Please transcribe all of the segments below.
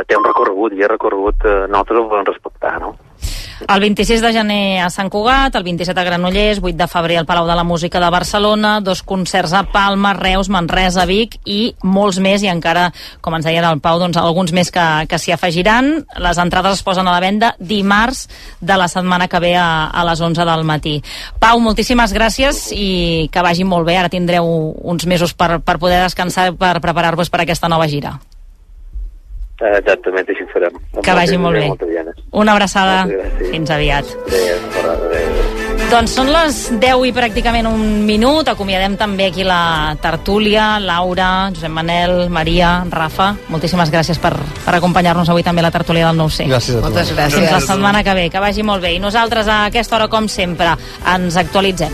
té un recorregut, i el recorregut nosaltres el volem respectar, no? El 26 de gener a Sant Cugat, el 27 a Granollers, 8 de febrer al Palau de la Música de Barcelona, 2 concerts a Palma, Reus, Manresa, Vic i molts més, i encara, com ens deia el Pau, doncs alguns més que s'hi afegiran. Les entrades es posen a la venda dimarts de la setmana que ve a les 11 del matí. Pau, moltíssimes gràcies i que vagi molt bé. Ara tindreu uns mesos per poder descansar, per preparar-vos per aquesta nova gira. Exactament, així ho farem. Que vagi molt bé. Una abraçada. Fins aviat. Doncs són les 10 i pràcticament un minut. Acomiadem també aquí la tertúlia. Laura, Josep Manel, Maria, Rafa, moltíssimes gràcies per acompanyar-nos avui també a la tertúlia del 9C. Gràcies a tu. Moltes gràcies. Fins la setmana que ve. Que vagi molt bé. I nosaltres a aquesta hora, com sempre, ens actualitzem.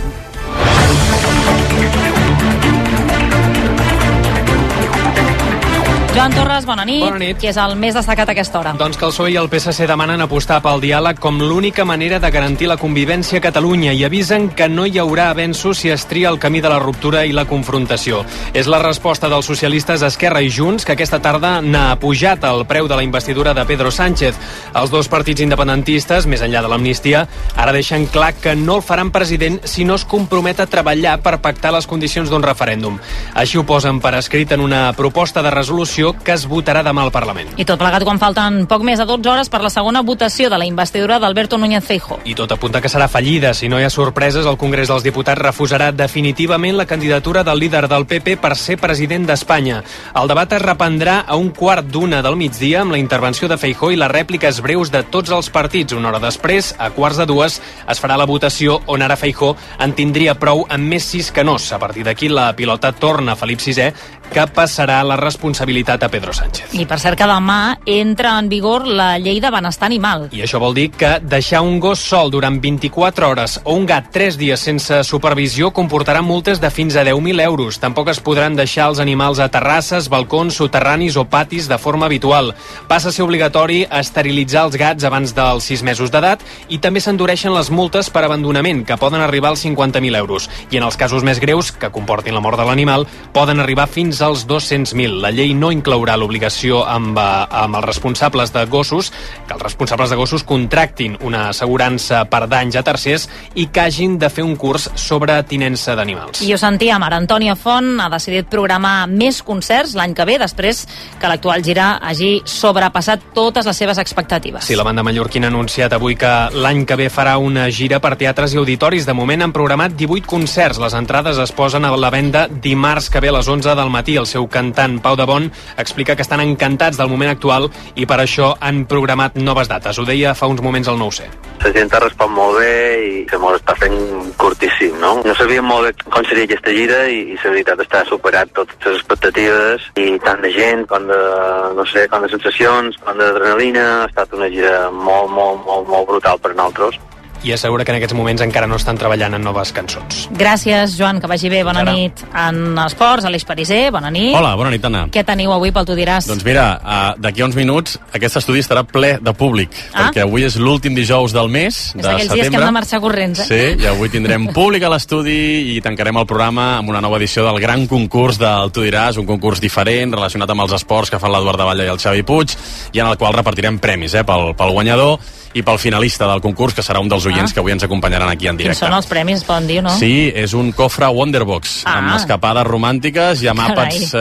Joan Torres, bona nit. Bona nit. Qui és el més destacat a aquesta hora? Doncs que el PSOE i el PSC demanen apostar pel diàleg com l'única manera de garantir la convivència a Catalunya i avisen que no hi haurà avenços si es tria el camí de la ruptura i la confrontació. És la resposta dels socialistes Esquerra i Junts, que aquesta tarda n'ha pujat el preu de la investidura de Pedro Sánchez. Els dos partits independentistes, més enllà de l'amnistia, ara deixen clar que no el faran president si no es compromet a treballar per pactar les condicions d'un referèndum. Així ho posen per escrit en una proposta de resolució que es votarà demà al Parlament. I tot plegat quan falten poc més de 12 hores per la segona votació de la investidura d'Alberto Núñez Feijóo. I tot apunta que serà fallida. Si no hi ha sorpreses, el Congrés dels Diputats refusarà definitivament la candidatura del líder del PP per ser president d'Espanya. El debat es reprendrà a 1:15 del migdia amb la intervenció de Feijóo i les rèpliques breus de tots els partits. Una hora després, a 1:15, es farà la votació on ara Feijóo en tindria prou amb més sís que nos. A partir d'aquí, la pilota torna a Felip VI, que passarà la responsabilitat a Pedro Sánchez. I per cert que demà entra en vigor la llei de benestar animal. I això vol dir que deixar un gos sol durant 24 hores o un gat 3 dies sense supervisió comportarà multes de fins a 10.000 euros. Tampoc es podran deixar els animals a terrasses, balcons, soterranis o patis de forma habitual. Passa a ser obligatori esterilitzar els gats abans dels 6 mesos d'edat i també s'endureixen les multes per abandonament, que poden arribar als 50.000 euros. I en els casos més greus, que comportin la mort de l'animal, poden arribar fins als 200.000. La llei no inclourà l'obligació amb els responsables de gossos, que els responsables de gossos contractin una assegurança per danys a tercers i que hagin de fer un curs sobre tinença d'animals. I ho sentíem, ara Antònia Font ha decidit programar més concerts l'any que ve, després que l'actual gira hagi sobrepassat totes les seves expectatives. Sí, la banda mallorquina ha anunciat avui que l'any que ve farà una gira per teatres i auditoris. De moment han programat 18 concerts. Les entrades es posen a la venda dimarts que ve a les 11 del matí. El seu cantant, Pau de Bon, explica que estan encantats del moment actual i per això han programat noves dates. Ho deia fa uns moments al 9C. La gent ha respost molt bé i se m'ho està fent curtíssim, no? No sabíem molt bé com seria aquesta gira i la veritat està superat totes les expectatives i tant de gent com de, no sé, com de sensacions, com d'adrenalina. Ha estat una gira molt brutal per nosaltres. I assegura que en aquests moments encara no estan treballant en noves cançons. Gràcies, Joan, que vagi bé. Bona nit. En esports, Aleix Pariser, bona nit. Hola, bona nit, Anna. Què teniu avui pel Tu diràs? Doncs mira, d'aquí a uns minuts aquest estudi estarà ple de públic, perquè avui és l'últim dijous del mes, de setembre. És aquells dies que hem de marxar corrents, eh? Sí, i avui tindrem públic a l'estudi i tancarem el programa amb una nova edició del gran concurs del Tu diràs, un concurs diferent, relacionat amb els esports que fan l'Eduard de Batlle i el Xavi Puig, i en el qual repartirem premis, pel guanyador i pel finalista del concurs, que serà un dels oients que avui ens acompanyaran aquí en directe. Quins són els premis, es poden dir, no? Sí, és un cofre Wonderbox, amb escapades romàntiques i amb àpats,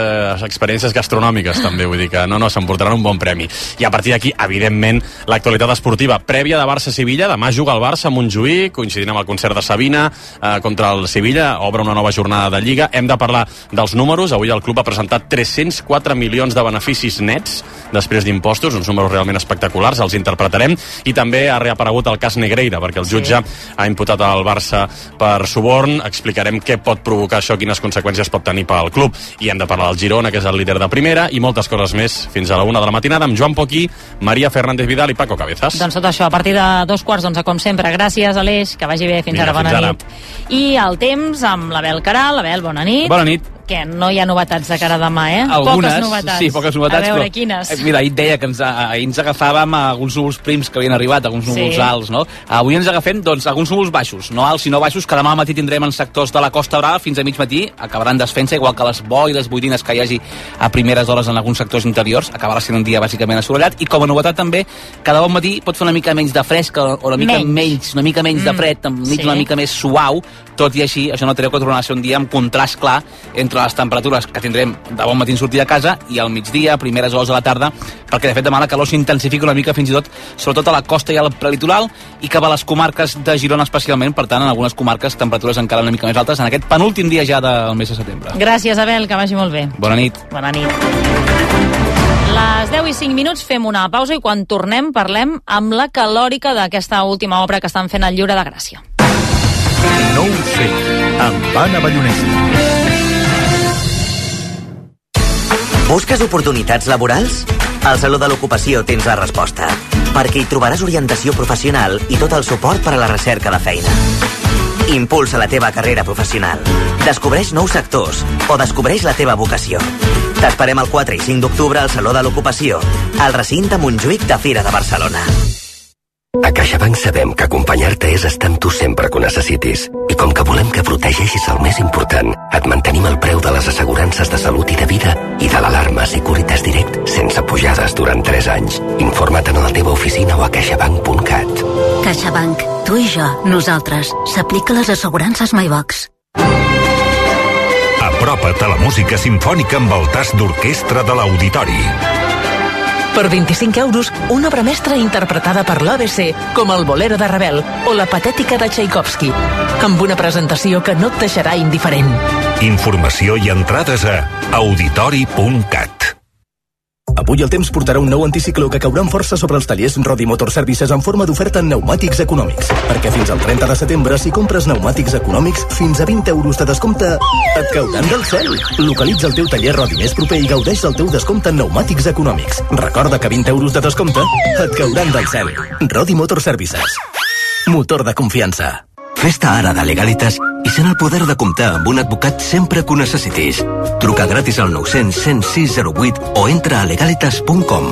experiències gastronòmiques, també, vull dir que no, s'emportaran un bon premi. I a partir d'aquí, evidentment, l'actualitat esportiva prèvia de Barça-Sevilla. Demà juga el Barça a Montjuïc, coincidint amb el concert de Sabina contra el Sevilla, obre una nova jornada de Lliga. Hem de parlar dels números. Avui el club ha presentat 304 milions de beneficis nets després d'impostos, uns números realment espectaculars, els interpretarem. I també ha reaparegut el cas Negreira, perquè el jutge ha imputat al Barça per suborn. Explicarem què pot provocar això, quines conseqüències pot tenir pel club. I hem de parlar del Girona, que és el líder de primera, i moltes coses més fins a la 1 de la matinada amb Joan Poquí, Maria Fernández Vidal i Paco Cabezas. Doncs tot això a partir de 2:15, com sempre. Gràcies, Aleix, que vagi bé. Fins ara, bona nit. I el temps amb l'Abel Caral. Abel, bona nit. Bona nit. Què? No hi ha novetats de cara a demà, Algunes, poques novetats. Sí, poques novetats. A veure, quines? Mira, ahir et deia que ahir ens agafàvem a alguns núvols prims que havien arribat, alguns núvols alts, no? Avui ens agafem, doncs, alguns núvols baixos, no alts sinó baixos, que demà al matí tindrem en sectors de la Costa Brava fins a mig matí, acabaran desfent-se, igual que les boires, boirines que hi hagi a primeres hores en alguns sectors interiors, acabarà sent un dia bàsicament assolellat, i com a novetat també, cada bon matí pot fer una mica menys de fresc, o una mica menys de fred, una mica més suau, tot i així, això no treu que tornarà a ser un dia amb contrast clar entre les temperatures que tindrem de bon matí en sortir de casa i al migdia, primeres hores de la tarda, perquè de fet demà la calor s'intensifica una mica fins i tot, sobretot a la costa i al prelitoral, i cap a les comarques de Girona especialment, per tant en algunes comarques temperatures encara una mica més altes en aquest penúltim dia ja del mes de setembre. Gràcies, Abel, que vagi molt bé. Bona nit. Bona nit. Les 10 i 5 minuts fem una pausa i quan tornem parlem amb la calòrica d'aquesta última obra que estan fent al Lliure de Gràcia. No ho sé, amb Anna Ballonesta. Busques oportunitats laborals? Al Saló de l'Ocupació tens la resposta, perquè hi trobaràs orientació professional i tot el suport per a la recerca de feina. Impulsa la teva carrera professional. Descobreix nous sectors o descobreix la teva vocació. T'esperem el 4 i 5 d'octubre al Saló de l'Ocupació, al recinte Montjuïc de Fira de Barcelona. A CaixaBank sabem que acompanyar-te és estar amb tu sempre que ho necessitis. I com que volem que protegeixis el més important, et mantenim el preu de les assegurances de salut i de vida i de l'alarma Securitas Direct sense pujades durant 3 anys. Informa't a la teva oficina o a caixabank.cat. CaixaBank. Tu i jo, nosaltres. S'aplica les assegurances MyBox. Apropa't a la música simfònica amb el tast d'orquestra de l'Auditori. Per 25 euros, una obra mestra interpretada per l'ABC, com el Bolero de Ravel o la Patètica de Tchaikovsky, amb una presentació que no et deixarà indiferent. Informació i entrades a auditori.cat. Avui el temps portarà un nou anticicló que caurà amb força sobre els tallers Rodi Motor Services en forma d'oferta en pneumàtics econòmics. Perquè fins al 30 de setembre, si compres pneumàtics econòmics, fins a 20 euros de descompte et cauran del cel. Localitza el teu taller Rodi més proper i gaudeix del teu descompte en pneumàtics econòmics. Recorda que 20 euros de descompte et cauran del cel. Rodi Motor Services. Motor de confiança. Fes-te ara de Legalitas i sent el poder de comptar amb un advocat sempre que ho necessitis. Truca gratis al 900 106 08 o entra a legalitas.com.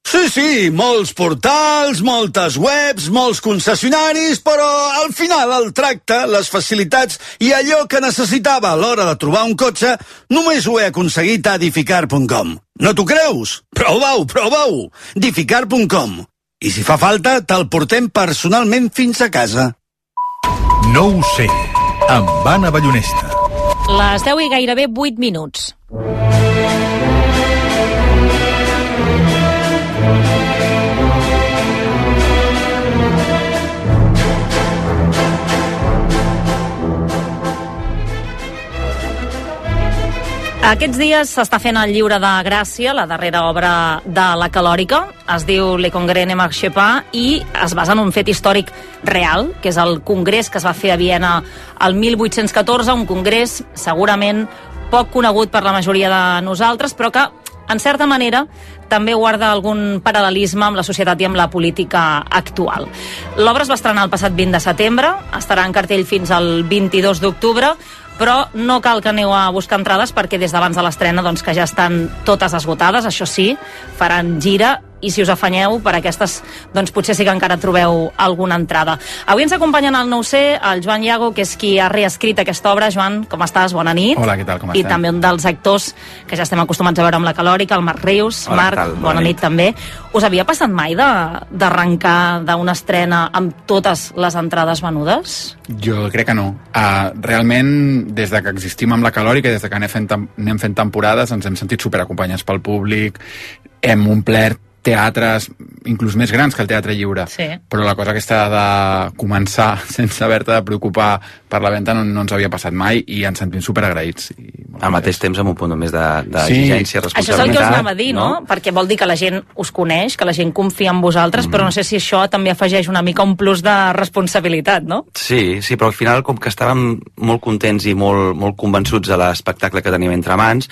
Sí, molts portals, moltes webs, molts concessionaris, però al final el tracte, les facilitats i allò que necessitava a l'hora de trobar un cotxe només ho he aconseguit a edificar.com. No t'ho creus? Prova-ho! Edificar.com. I si fa falta, te'l portem personalment fins a casa. No ho sé, amb Anna Ballonesta. Les 10 i gairebé 8 minuts. Aquests dies s'està fent el Lliure de Gràcia, la darrera obra de la Calòrica. Es diu Le Congrès ne marche pas i es basa en un fet històric real, que és el congrés que es va fer a Viena el 1814, un congrés segurament poc conegut per la majoria de nosaltres, però que, en certa manera, també guarda algun paral·lelisme amb la societat i amb la política actual. L'obra es va estrenar el passat 20 de setembre, estarà en cartell fins al 22 d'octubre, però no cal que aneu a buscar entrades perquè des d'abans de l'estrena doncs, que ja estan totes esgotades, això sí, faran gira i si us afanyeu per aquestes, doncs potser sí que encara trobeu alguna entrada. Avui ens acompanyen al 9C el Joan Iago, que és qui ha reescrit aquesta obra. Joan, com estàs? Bona nit. Hola, què tal, com estem? I també un dels actors que ja estem acostumats a veure amb la Calòrica, el Marc Rius. Hola, Marc, bona nit també. Us havia passat mai d'arrencar d'una estrena amb totes les entrades venudes? Jo crec que no. Realment, des de que existim amb la Calòrica i des de que anem fent temporades, ens hem sentit superacompanyats pel públic, hem omplert teatres, inclús més grans que el Teatre Lliure. Sí. Però la cosa aquesta de començar sense haver-te de preocupar per la venda no ens havia passat mai i ens sentim superagraïts. Al mateix temps amb un punt més d'exigència, responsabilitat. Això és el que us anava a dir, no? Perquè vol dir que la gent us coneix, que la gent confia en vosaltres, però no sé si això també afegeix una mica un plus de responsabilitat, no? Sí, però al final, com que estàvem molt contents i molt convençuts de l'espectacle que tenim entre mans,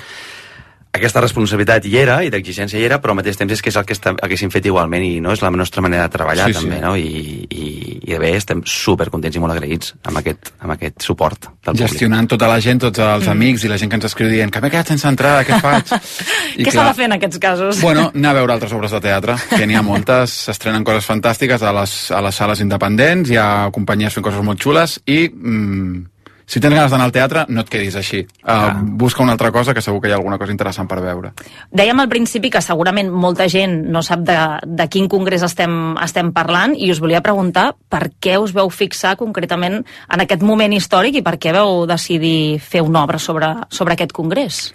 aquesta responsabilitat hi era i d'exigència hi era, però al mateix temps és que és el que haguéssim fet igualment i no és la nostra manera de treballar també, no? I bé, estem supercontents i molt agraïts amb aquest suport del públic. Gestionant tota la gent, tots els amics i la gent que ens escriu dient que m'he quedat sense entrada, què faig? Què s'ha de fer en aquests casos? Bueno, anar a veure altres obres de teatre, que n'hi ha moltes, s'estrenen coses fantàstiques a les sales independents, hi ha companyies fent coses molt xules i si tens ganes d'anar al teatre, no et quedis així. Busca una altra cosa, que segur que hi ha alguna cosa interessant per veure. Dèiem al principi que segurament molta gent no sap de quin congrés estem parlant i us volia preguntar per què us veu fixar concretament en aquest moment històric i per què veu decidir fer una obra sobre aquest congrés.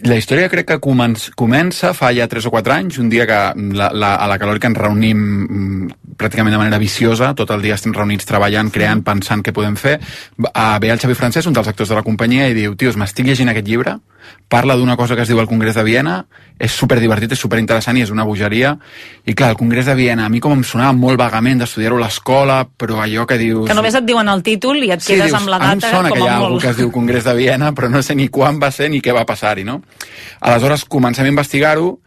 La història crec que comença fa ja 3 o 4 anys, un dia que a la Calòrica ens reunim pràcticament de manera viciosa, tot el dia estem reunits treballant, creant, pensant què podem fer. Ve el Xavi Francesc, un dels actors de la companyia, i diu, tios, m'estic llegint aquest llibre, parla d'una cosa que es diu el Congrés de Viena, és superdivertit, és superinteressant i és una bogeria. I clar, el Congrés de Viena, a mi com em sonava molt vagament d'estudiar-ho a l'escola, però allò que dius... Que només et diuen el títol i et quedes amb la data com a molt. Em sona que hi ha algú que es diu Congrés de Viena, però no sé ni quan va ser ni què va passar-hi, no? Aleshores comencem a investigar-ho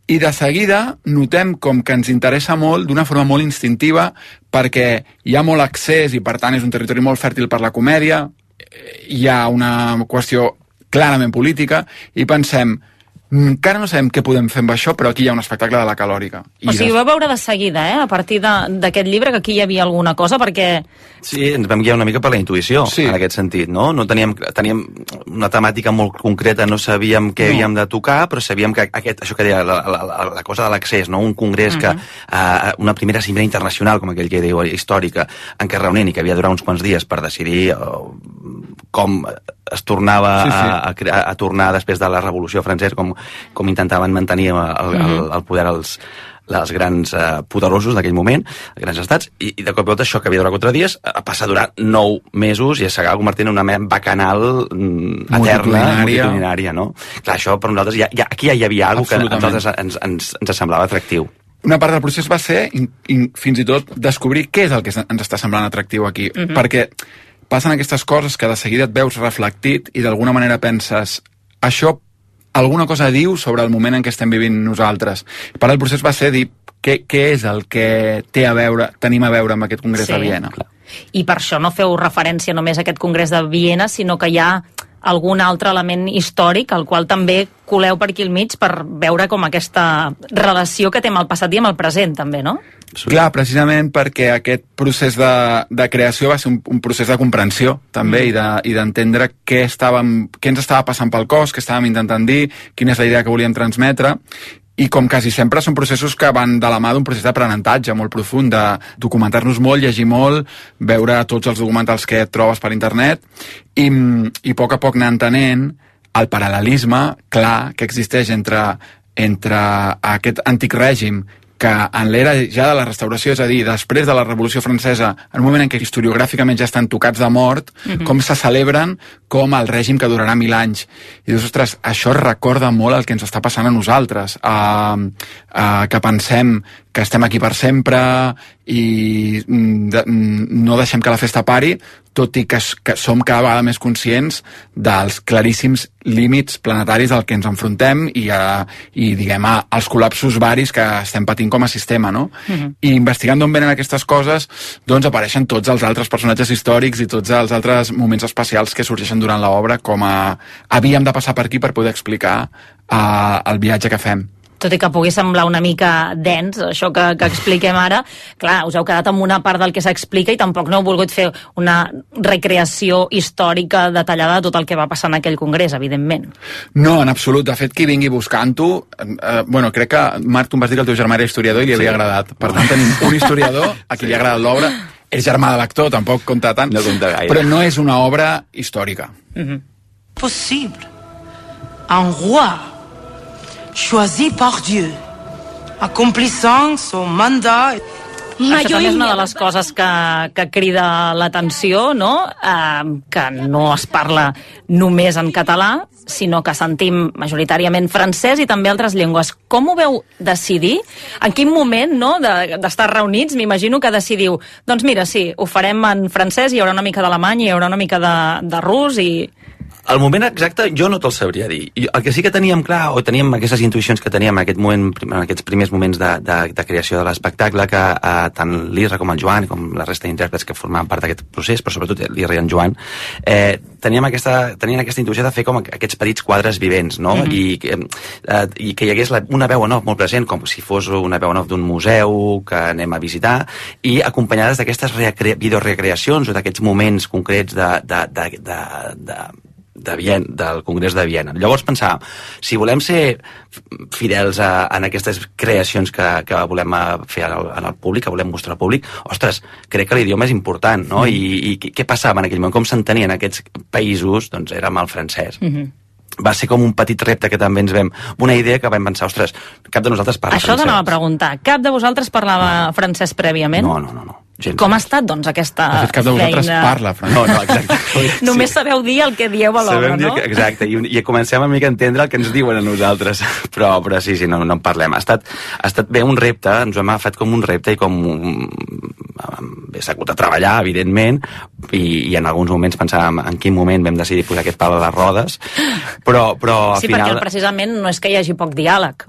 i de seguida notem com que ens interessa molt d'una forma molt instintiva perquè hi ha molt accés i per tant és un territori molt fèrtil per la comèdia, hi ha una qüestió clarament política i pensem, encara no sabem què podem fer amb això, però aquí hi ha un espectacle de la Calòrica. O sigui, ho vau veure de seguida, a partir d'aquest llibre, que aquí hi havia alguna cosa, perquè... Sí, ens vam guiar una mica per la intuïció, en aquest sentit, no? Teníem una temàtica molt concreta, no sabíem què havíem de tocar, però sabíem que això que deia, la cosa de l'accés, no? Un congrés que, una primera cimera internacional, com aquell que diu, històrica, en què es reunien i que havia de durar uns quants dies per decidir com es tornava a tornar després de la Revolució Francesa, com intentaven mantenir el poder els grans poderosos d'aquell moment, els grans estats, i de cop i volta això que havia durat 4 dies passa a durar 9 mesos i s'acaba convertint en una mena bacanal eterna, multitudinària, no? Clar, això per nosaltres, aquí ja hi havia alguna cosa que a nosaltres ens semblava atractiu. Una part del procés va ser, fins i tot, descobrir què és el que ens està semblant atractiu aquí, perquè passen aquestes coses que de seguida et veus reflectit i d'alguna manera penses, això alguna cosa diu sobre el moment en què estem vivint nosaltres. Per el procés va ser dir què és el que tenim a veure amb aquest Congrés de Viena. I per això no feu referència només a aquest Congrés de Viena, sinó que hi ha algun altre element històric al qual també coleu per aquí al mig per veure com aquesta relació que té amb el passat i amb el present, també, no? Clar, precisament perquè aquest procés de creació va ser un procés de comprensió, també, i d'entendre què ens estava passant pel cos, què estàvem intentant dir, quina és la idea que volíem transmetre, i com quasi sempre són processos que van de la mà d'un procés d'aprenentatge molt profund, de documentar-nos molt, llegir molt, veure tots els documentals que et trobes per internet i a poc anar entenent el paral·lelisme clar que existeix entre aquest antic règim que en l'era ja de la restauració, és a dir, després de la Revolució Francesa, en un moment en què historiogràficament ja estan tocats de mort, com se celebren com el règim que durarà 1000 anys. I dius, ostres, això recorda molt el que ens està passant a nosaltres, que pensem que estem aquí per sempre i no deixem que la festa pari, tot i que som cada vegada més conscients dels claríssims límits planetaris al que ens enfrontem i diguem, als col·lapsos varis que estem patint com a sistema, no? I investigant d'on venen aquestes coses, doncs apareixen tots els altres personatges històrics i tots els altres moments especials que sorgeixen durant l'obra, com havíem de passar per aquí per poder explicar el viatge que fem. Tot i que pugui semblar una mica dens, això que expliquem ara, clar, us heu quedat amb una part del que s'explica i tampoc no heu volgut fer una recreació històrica detallada de tot el que va passar en aquell congrés, evidentment. No, en absolut. De fet, qui vingui buscant-ho... crec que, Marc, tu em vas dir que el teu germà era historiador i li havia agradat. Per tant, tenim un historiador a qui li ha agradat l'obra. És germà de l'actor, tampoc compta tant. No compta gaire. Però no és una obra històrica. Possible. Un roi choisi par Dieu, accomplissant son mandat. Això també és una de les coses que crida l'atenció, no? Que no es parla només en català, sinó que sentim majoritàriament francès i també altres llengües. Com ho veu decidir? En quin moment, no?, d'estar reunits, m'imagino que decidiu, doncs mira, sí, ho farem en francès, hi haurà una mica d'alemany, hi haurà una mica de rus i... El moment exacte jo no te'l sabria dir. El que sí que teníem clar, o teníem aquestes intuïcions que teníem en aquest moment, en aquests primers moments de creació de l'espectacle, que tant l'Isra com el Joan, com la resta d'intèrprets que formaven part d'aquest procés, però sobretot l'Isra i en Joan, tenien aquesta intuïció de fer com aquests petits quadres vivents, no? I que hi hagués una veu en off molt present, com si fos una veu en off d'un museu que anem a visitar, i acompanyades d'aquestes videorecreacions o d'aquests moments concrets del Congrés de Viena. Llavors pensàvem, si volem ser fidels en aquestes creacions que volem fer en el públic, que volem mostrar al públic, ostres, crec que l'idioma és important, no? I què passava en aquell moment? Com s'entenien aquests països? Doncs érem el francès. Va ser com un petit repte que també ens vam... Una idea que vam pensar, ostres, cap de nosaltres parla francès. Això t'anava a preguntar. Cap de vosaltres parlava francès prèviament? No. Com ha estat, doncs, aquesta feina? De fet, cap de vosaltres parla francès. No, exacte. Només sabeu dir el que dieu a l'obra, no? Exacte, i comencem una mica a entendre el que ens diuen a nosaltres, però sí, no en parlem. Ha estat bé un repte, ens ho hem agafat com un repte i com bé s'ha hagut de treballar, evidentment, i en alguns moments pensàvem en quin moment vam decidir posar aquest pal a les rodes, però al final... Sí, perquè precisament no és que hi hagi poc diàleg,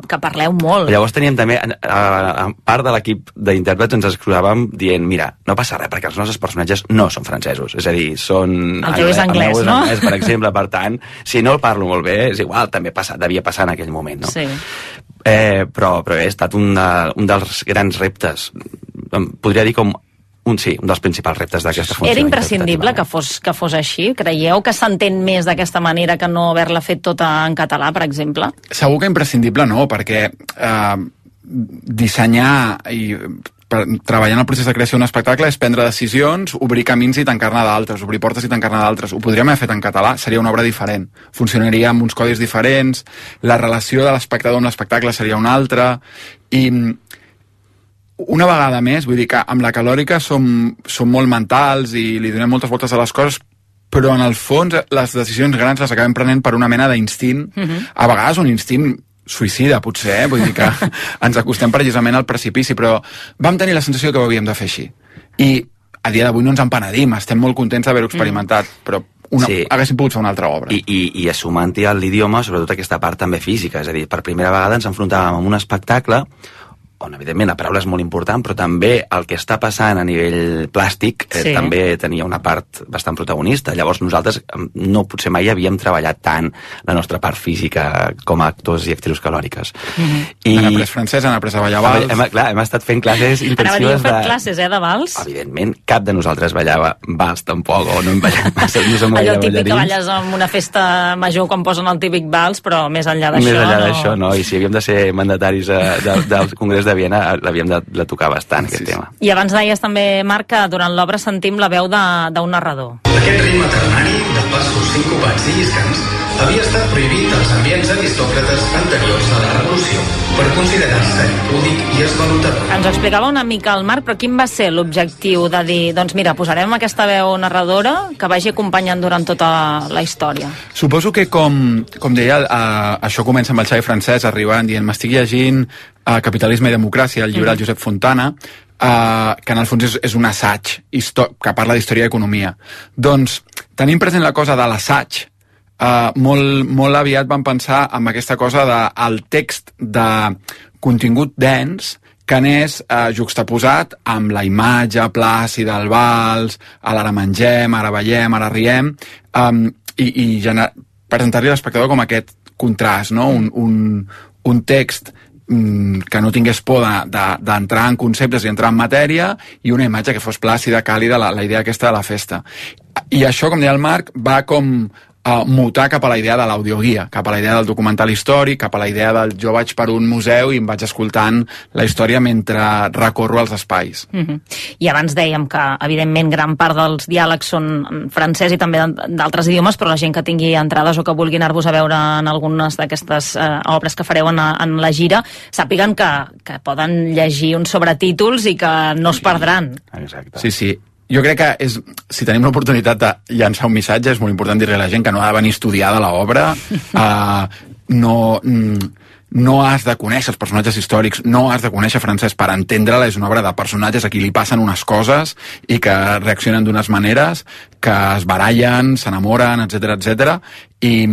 que parleu molt. Llavors teníem també, a part de l'equip d'intèrprets, ens escrivàvem dient, mira, no passa res, perquè els nostres personatges no són francesos, és a dir, són... El teu és anglès, no? Anglès, per exemple, per tant, si no el parlo molt bé, és igual, també devia passar en aquell moment, no? Sí. Però ha estat un dels grans reptes, podria dir com un dels principals reptes d'aquesta funció. Era imprescindible que fos així? Creieu que s'entén més d'aquesta manera que no haver-la fet tota en català, per exemple? Segur que imprescindible no, perquè dissenyar i treballar en el procés de creació d'un espectacle és prendre decisions, obrir camins i tancar-ne d'altres, obrir portes i tancar-ne d'altres. Ho podríem haver fet en català, seria una obra diferent. Funcionaria amb uns codis diferents, la relació de l'espectador amb l'espectacle seria una altra, i una vegada més, vull dir que amb la calòrica som molt mentals i li donem moltes voltes a les coses, però en el fons les decisions grans les acabem prenent per una mena d'instint, a vegades un instint suïcida, potser, vull dir que ens acostem precisament al precipici, però vam tenir la sensació que ho havíem de fer així. I a dia d'avui no ens en penedim, estem molt contents d'haver-ho experimentat, però haguéssim pogut fer una altra obra. I assumant-hi a l'idioma, sobretot aquesta part també física, és a dir, per primera vegada ens enfrontàvem amb un espectacle on, evidentment, la paraula és molt important, però també el que està passant a nivell plàstic també tenia una part bastant protagonista. Llavors nosaltres potser mai havíem treballat tant la nostra part física com a actors i actrius calòriques. Han après francès, han après a ballar vals. Hem estat fent classes intensives de... Heu fet classes, de vals? Evidentment, cap de nosaltres ballava vals tampoc, o no hem ballat massa, no som allò típic que balles en una festa major quan posen el típic vals, però més enllà d'això... Més enllà d'això, no. I si havíem de ser mandataris del Congrés de Viena, l'havíem de tocar bastant, aquest tema. I abans deies també, Marc, que durant l'obra sentim la veu d'un narrador. Aquest ritme ternari de passos sincopats i lliscants havia estat prohibit als ambients aristòcrates anteriors a la Revolució per considerar-se impúdic i esvalotador. Ens ho explicava una mica el Marc, però quin va ser l'objectiu de dir, doncs mira, posarem aquesta veu narradora que vagi acompanyant durant tota la història? Suposo que, com deia, això comença amb el Xavi Francès arribant dient, m'estic llegint Capitalisme i democràcia, el llibre del Josep Fontana, que en el fons és un assaig que parla d'història i economia. Doncs, tenint present la cosa de l'assaig, molt aviat vam pensar en aquesta cosa del text de contingut dens que anés juxtaposat amb la imatge plàcida del vals, ara mengem, ara ballem, ara riem, i presentar-li a l'espectador com aquest contrast, no? Un text que no tingués por d'entrar en conceptes i entrar en matèria, i una imatge que fos plàcida, càlida, la idea aquesta de la festa. I això, com deia el Marc, va com mutar cap a la idea de l'audioguia, cap a la idea del documental històric, cap a la idea del jo vaig per un museu i em vaig escoltant la història mentre recorro els espais. I abans dèiem que, evidentment, gran part dels diàlegs són francès i també d'altres idiomes, però la gent que tingui entrades o que vulgui anar-vos a veure en algunes d'aquestes obres que fareu en la gira, sàpiguen que poden llegir uns sobretítols i que no es perdran. Exacte. Sí. Jo crec que si tenim l'oportunitat de llançar un missatge, és molt important dir-li a la gent que no ha de venir estudiada l'obra, no has de conèixer els personatges històrics, no has de conèixer francès per entendre-la, és una obra de personatges a qui li passen unes coses i que reaccionen d'unes maneres, que es barallen, s'enamoren, etc i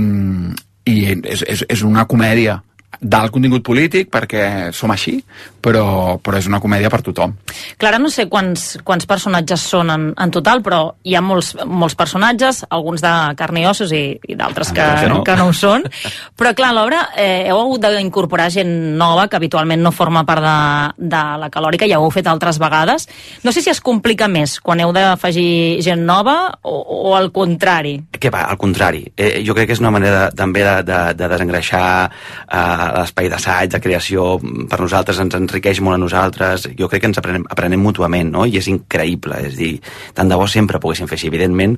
és una comèdia d'alt contingut polític perquè som així, però és una comèdia per tothom. Clara, no sé quants personatges són en total, però hi ha molts personatges, alguns de carn i ossos i d'altres que no ho són, però clar, a l'obra heu hagut d'incorporar gent nova que habitualment no forma part de la Calòrica, ja ho heu fet altres vegades. No sé si es complica més quan heu d'afegir gent nova o al contrari. Què va, al contrari. Jo crec que és una manera també de desengreixar l'espai d'assaig, de creació, per nosaltres ens enriqueix molt a nosaltres. Jo crec que ens aprenem mútuament, no? I és increïble, és dir, tant de bo sempre poguéssim fer així. Evidentment,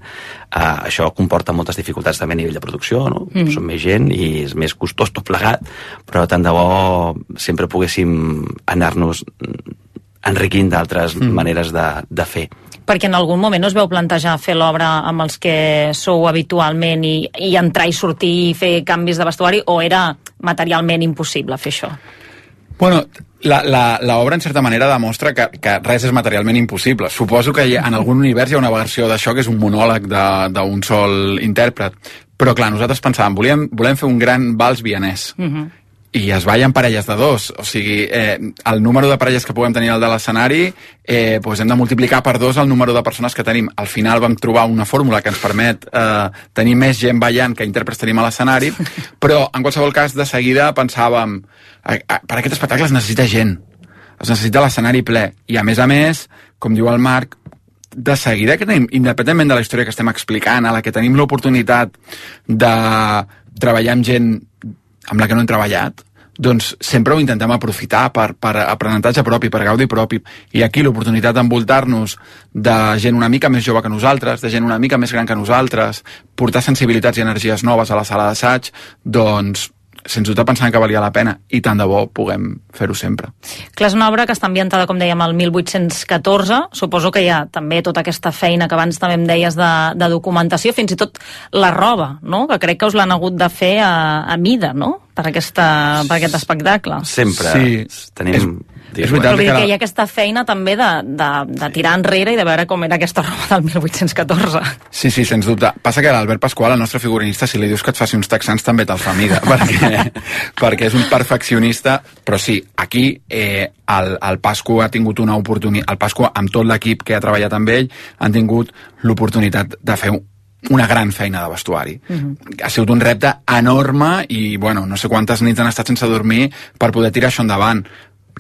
això comporta moltes dificultats també a nivell de producció, no? Som més gent i és més costós tot plegat, però tant de bo sempre poguéssim anar-nos enriquint d'altres maneres de fer. Perquè en algun moment us veu plantejar fer l'obra amb els que sou habitualment i entrar i sortir i fer canvis de vestuari, o era materialment impossible fer això? Bueno, l'obra en certa manera demostra que res és materialment impossible. Suposo que en algun univers hi ha una versió d'això que és un monòleg d'un sol intèrpret. Però clar, nosaltres pensàvem, volem fer un gran vals vienès. I es balla en parelles de dos, o sigui, el número de parelles que puguem tenir al de l'escenari, doncs hem de multiplicar per 2 el número de persones que tenim. Al final vam trobar una fórmula que ens permet tenir més gent ballant que intèrprets tenim a l'escenari, però en qualsevol cas de seguida pensàvem, per aquest espectacle es necessita gent, es necessita l'escenari ple, i a més, com diu el Marc, de seguida que tenim, independentment de la història que estem explicant, a la que tenim l'oportunitat de treballar amb gent amb la que no hem treballat, doncs sempre ho intentem aprofitar per aprenentatge propi, per gaudi propi. I aquí l'oportunitat d'envoltar-nos de gent una mica més jove que nosaltres, de gent una mica més gran que nosaltres, portar sensibilitats i energies noves a la sala d'assaig, doncs sens dubte pensant que valia la pena, i tant de bo puguem fer-ho sempre. Clar, és una obra que està ambientada, com dèiem, al 1814. Suposo que hi ha també tota aquesta feina que abans també em deies de documentació, fins i tot la roba, no? Que crec que us l'han hagut de fer a mida, no? Per aquest espectacle. Sempre. Sí, tenim... És veritat que hi ha aquesta feina també de tirar enrere i de veure com era aquesta roba del 1814. Sí, sens dubte. Passa que l'Albert Pasqual, el nostre figurinista, si li dius que et faci uns texans també te'l fa mida, perquè és un perfeccionista, però sí, aquí el Pascu ha tingut una oportunitat, el Pascu amb tot l'equip que ha treballat amb ell han tingut l'oportunitat de fer una gran feina de vestuari. Ha sigut un repte enorme i, bueno, no sé quantes nits han estat sense dormir per poder tirar això endavant.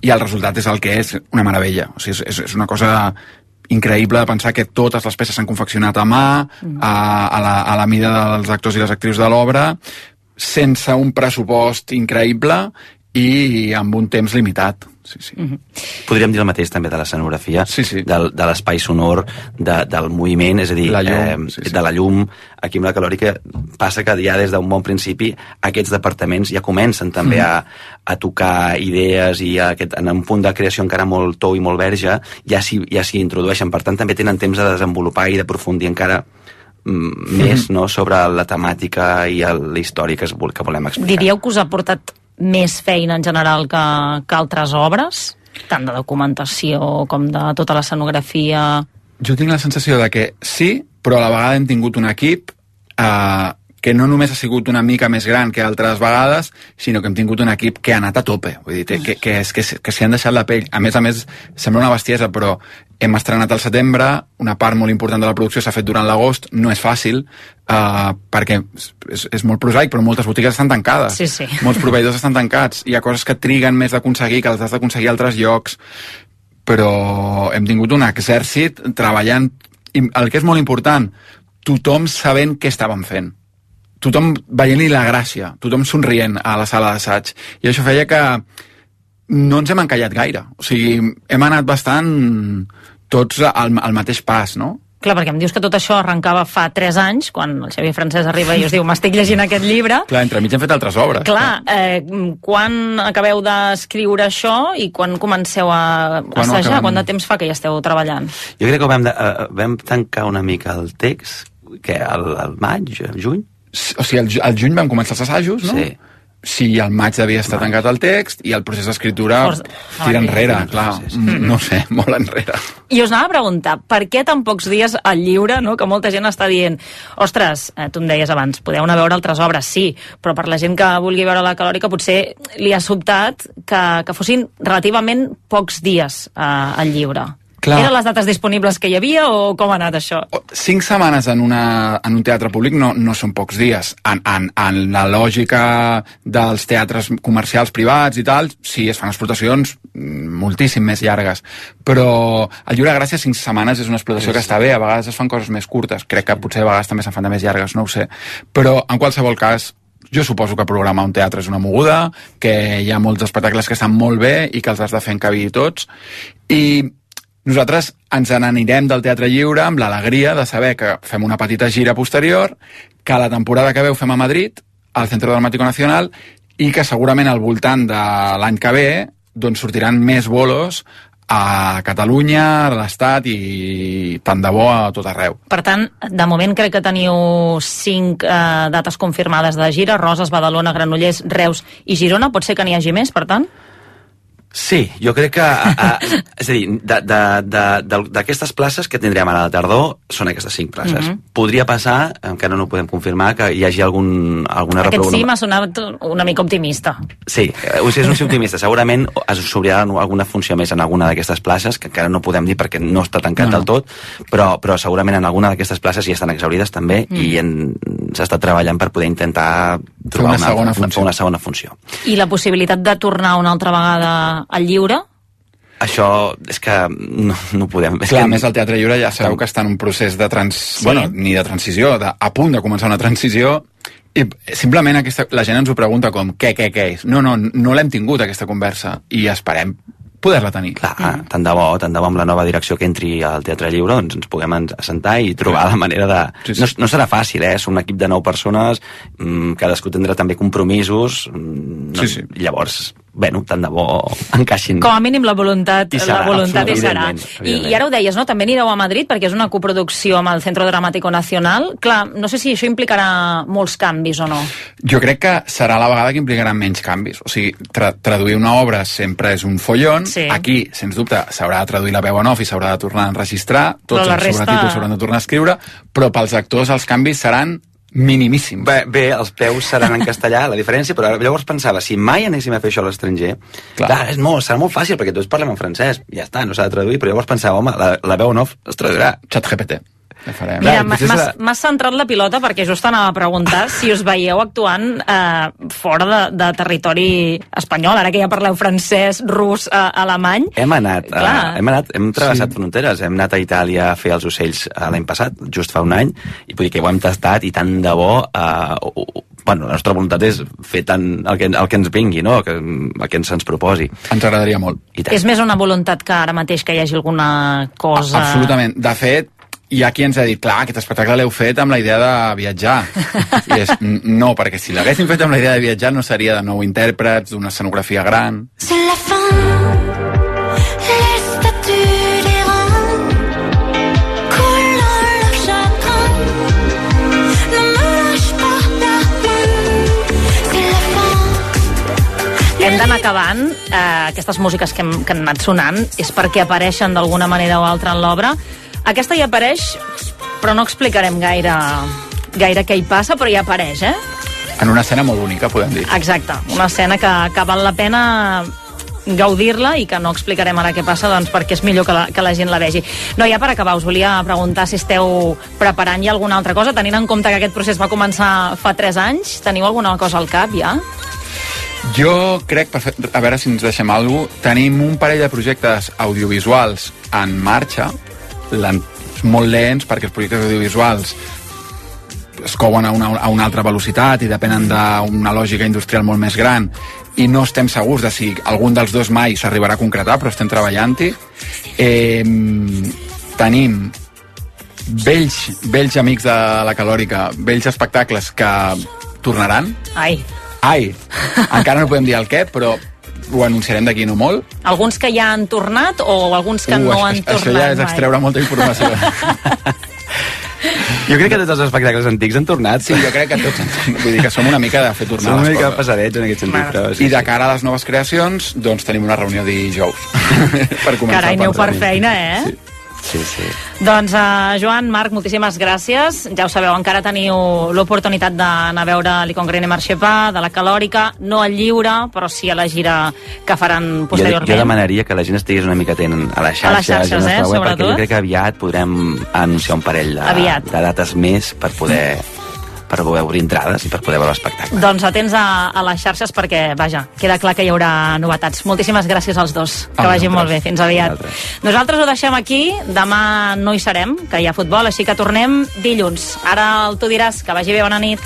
I el resultat és el que és, una meravella. O sigui, és una cosa increïble de pensar que totes les peces s'han confeccionat a mà, a la mida dels actors i les actrius de l'obra, sense un pressupost increïble i amb un temps limitat. Sí. Podríem dir el mateix també de l'escenografia, de l'espai sonor, del moviment, és a dir, de la llum. Aquí amb la Calòrica passa que ja des d'un bon principi aquests departaments ja comencen també a tocar idees i en un punt de creació encara molt tou i molt verge ja s'hi introdueixen. Per tant, també tenen temps de desenvolupar i d'aprofundir encara més, no?, sobre la temàtica i la història que volem explicar. Diríeu que us ha portat més feina en general que altres obres? Tant de documentació com de tota l'escenografia? Jo tinc la sensació de que sí, però a la vegada hem tingut un equip que no només ha sigut una mica més gran que altres vegades, sinó que hem tingut un equip que ha anat a tope. Vull dir, que s'hi han deixat la pell. A més, sembla una bestiesa, però hem estrenat al setembre, una part molt important de la producció s'ha fet durant l'agost, no és fàcil, perquè és molt prosaic, però moltes botigues estan tancades. Sí. Molts proveïdors estan tancats. Hi ha coses que triguen més d'aconseguir, que les has d'aconseguir a altres llocs, però hem tingut un exèrcit treballant, i el que és molt important, tothom sabent què estàvem fent. Tothom veient-li la gràcia, tothom somrient a la sala d'assaig. I això feia que no ens hem encallat gaire. O sigui, hem anat bastant tots al mateix pas, no? Clar, perquè em dius que tot això arrencava fa 3 anys, quan el Xavier Francesc arriba i us diu m'estic llegint aquest llibre. Clar, entremig hem fet altres obres. Clar, quan acabeu d'escriure això i quan comenceu a assajar? Quant de temps fa que hi esteu treballant? Jo crec que vam tancar una mica el text, que al maig, juny. O sigui, al juny vam començar els assajos, no? Sí. si al maig devia estar tancat el text i el procés d'escriptura tira enrere, clar, no sé, molt enrere. I us anava a preguntar, per què tan pocs dies al lliure, no? Que molta gent està dient, ostres, tu em deies abans, podeu anar a veure altres obres, sí, però per la gent que vulgui veure la Calòrica potser li ha sobtat que fossin relativament pocs dies al lliure. Clar. Eren les dates disponibles que hi havia o com ha anat això? 5 setmanes en un teatre públic no són pocs dies. En la lògica dels teatres comercials privats i tal, sí, es fan explotacions moltíssim més llargues. Però el Lliure Gràcia 5 setmanes és una explotació que està bé, a vegades es fan coses més curtes. Crec que potser a vegades també se'n fan de més llargues, no ho sé. Però en qualsevol cas, jo suposo que programar un teatre és una moguda, que hi ha molts espectacles que estan molt bé i que els has de fer encabir tots. I nosaltres ens n'anirem del Teatre Lliure amb l'alegria de saber que fem una petita gira posterior, que la temporada que ve ho fem a Madrid, al Centro Dramático Nacional, i que segurament al voltant de l'any que ve doncs sortiran més bolos a Catalunya, a l'Estat i tant de bo a tot arreu. Per tant, de moment crec que teniu 5 dates confirmades de gira, Roses, Badalona, Granollers, Reus i Girona. Pot ser que n'hi hagi més, per tant? Sí, jo crec que... és a dir, d'aquestes places que tindrem ara a la tardor són aquestes 5 places. Podria passar, encara no ho podem confirmar, que hi hagi alguna Aquest sí m'ha sonat una mica optimista. Sí, és un sí optimista. Segurament s'obrirà alguna funció més en alguna d'aquestes places, que encara no podem dir perquè no està tancat del tot, però segurament en alguna d'aquestes places ja estan exaurides també i s'ha estat treballant per poder intentar trobar una segona funció. I la possibilitat de tornar una altra vegada al lliure? Això és que no podem... Clar, a més el Teatre Lliure ja sabeu que està en un procés de ni de transició, a punt de començar una transició, i simplement la gent ens ho pregunta com, què és? No l'hem tingut aquesta conversa i esperem poder-la tenir. Clar, tant de bo amb la nova direcció que entri al Teatre Lliure, doncs ens puguem assentar i trobar la manera de... No serà fàcil, som un equip de 9 persones, cadascú tindrà també compromisos, llavors, tant de bo encaixin. Com a mínim la voluntat hi serà. I ara ho deies, no? També anireu a Madrid perquè és una coproducció amb el Centro Dramático Nacional. Clar, no sé si això implicarà molts canvis o no. Jo crec que serà la vegada que implicarà menys canvis. O sigui, traduir una obra sempre és un follon. Aquí, sens dubte, s'haurà de traduir la veu en off i s'haurà de tornar a enregistrar, tots els sobretítols s'hauran de tornar a escriure, però pels actors els canvis seran minimíssims. Bé, els peus seran en castellà, la diferència, però llavors pensava, si mai anéssim a fer això a l'estranger, serà molt fàcil, perquè tots parlem en francès, ja està, no s'ha de traduir, però llavors pensava, home, la veu en off es traduirà. ChatGPT. Mira, m'has centrat la pilota perquè just anava a preguntar si us veieu actuant fora de territori espanyol, ara que ja parleu francès, rus, alemany. Hem travessat fronteres, hem anat a Itàlia a fer els ocells l'any passat, just fa un any, i vull dir que ho hem tastat i tant de bo la nostra voluntat és fer tant el que ens vingui, no? el que ens proposi. Ens agradaria molt. És més una voluntat que ara mateix que hi hagi alguna cosa... Absolutament. De fet, hi ha qui ens ha dit, clar, aquest espectacle l'heu fet amb la idea de viatjar. I no, perquè si l'haguéssim fet amb la idea de viatjar no seria de 9 intèrprets, d'una escenografia gran. C'est la fin, les statues des reins, coulant le chagrin, ne me lâche pas la main, c'est la fin. Hem d'anar acabant. Aquestes músiques que han anat sonant és perquè apareixen d'alguna manera o altra en l'obra. Aquesta hi apareix, però no explicarem gaire què hi passa, però hi apareix, En una escena molt única, podem dir. Exacte, una escena que val la pena gaudir-la i que no explicarem ara què passa, doncs perquè és millor que la gent la vegi. No, ja per acabar, us volia preguntar si esteu preparant ja alguna altra cosa, tenint en compte que aquest procés va començar fa 3 anys. Teniu alguna cosa al cap, ja? Jo crec, a veure si ens deixem alguna cosa, tenim un parell de projectes audiovisuals en marxa, molt lents perquè els projectes audiovisuals es couen a una altra velocitat i depenen d'una lògica industrial molt més gran i no estem segurs de si algun dels dos mai s'arribarà a concretar, però estem treballant-hi. Tenim vells amics de la Calòrica, vells espectacles que tornaran. Ai! Encara no podem dir el què, però ho anunciarem d'aquí no molt. Alguns que ja han tornat o alguns que no han tornat mai? Això ja és extreure molta informació. Jo crec que tots els espectacles antics han tornat. Sí, jo crec que tots han tornat. Vull dir que som una mica de fer tornar Som una les mica coses. passadets en aquest sentit. Però, I de cara a les noves creacions, doncs tenim una reunió dijous. Per començar Carai, a aneu pensar. per feina, eh? Sí, sí. Doncs, Joan, Marc, moltíssimes gràcies. Ja ho sabeu, encara teniu l'oportunitat d'anar a veure l'Icongrene Marxepà, de la Calòrica, no al Lliure, però sí a la gira que faran posteriorment. Jo demanaria que la gent estigués una mica atent a les xarxes, web, perquè sobretot. jo crec que aviat podrem anunciar un parell de dates més per poder obrir entrades i per poder veure l'espectacle. Doncs atents a les xarxes perquè, vaja, queda clar que hi haurà novetats. Moltíssimes gràcies als dos. Que vagin molt bé. Fins aviat. Nosaltres ho deixem aquí. Demà no hi serem, que hi ha futbol, així que tornem dilluns. Ara tu diràs que vagi bé, bona nit.